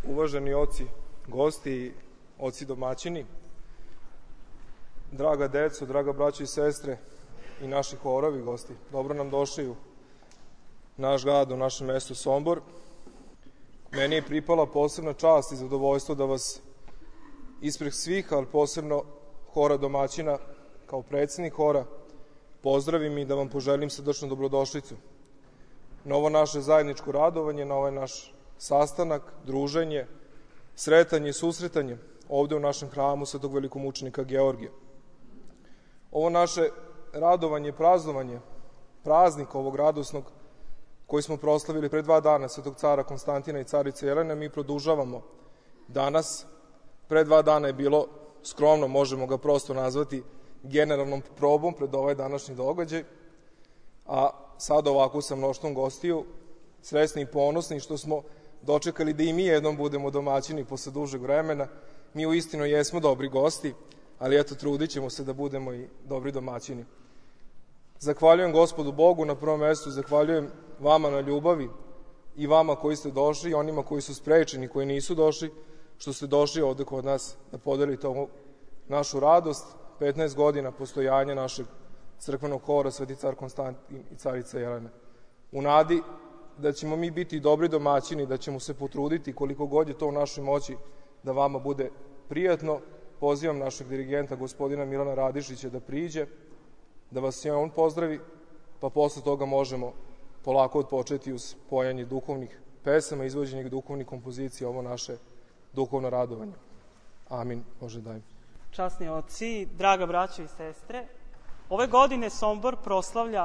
Uvaženi oci, gosti, oci domaćini, draga deco, draga braćo i sestre i naši horovi gosti, dobro nam došli u naš grad, u naše mesto Sombor. Meni je pripala posebna čast i zadovoljstvo da vas ispred svih, ali posebno hora domaćina, kao predsednik hora, pozdravim i da vam poželim srdačnu dobrodošlicu na ovo naše zajedničko radovanje, na ovaj naš sastanak, druženje, sretanje i susretanje ovde u našem hramu Svetog velikomučenika Georgija. Ovo naše radovanje i praznovanje, praznik ovog radosnog koji smo proslavili pre 2 dana Svetog cara Konstantina i carice Jelene, mi produžavamo danas. Pre 2 dana je bilo skromno, možemo ga prosto nazvati generalnom probom pred ovaj današnji događaj, a sad ovako sa mnoštvom gostiju, srećni i ponosni što smo dočekali da i mi jednom budemo domaćini posle dužeg vremena. Mi uistinu jesmo dobri gosti, ali eto, trudit ćemo se da budemo i dobri domaćini. Zahvaljujem Gospodu Bogu na prvom mestu, zahvaljujem vama na ljubavi i vama koji ste došli i onima koji su sprečeni, koji nisu došli, što ste došli ovde kod nas da podelite ovu našu radost, 15 godina postojanja našeg crkvenog hora Sveti car Konstantin i carica Jelena. U nadi da ćemo mi biti dobri domaćini, da ćemo se potruditi koliko god je to u našoj moći da vama bude prijatno, pozivam našeg dirigenta, gospodina Milana Radišića, da priđe, da vas i on pozdravi, pa posle toga možemo polako odpočeti uz pojanje duhovnih pesama, izvođenje duhovnih kompozicija, ovo naše duhovno radovanje. Amin. Bože daj. Časni oci, draga braćo i sestre, ove godine Sombor proslavlja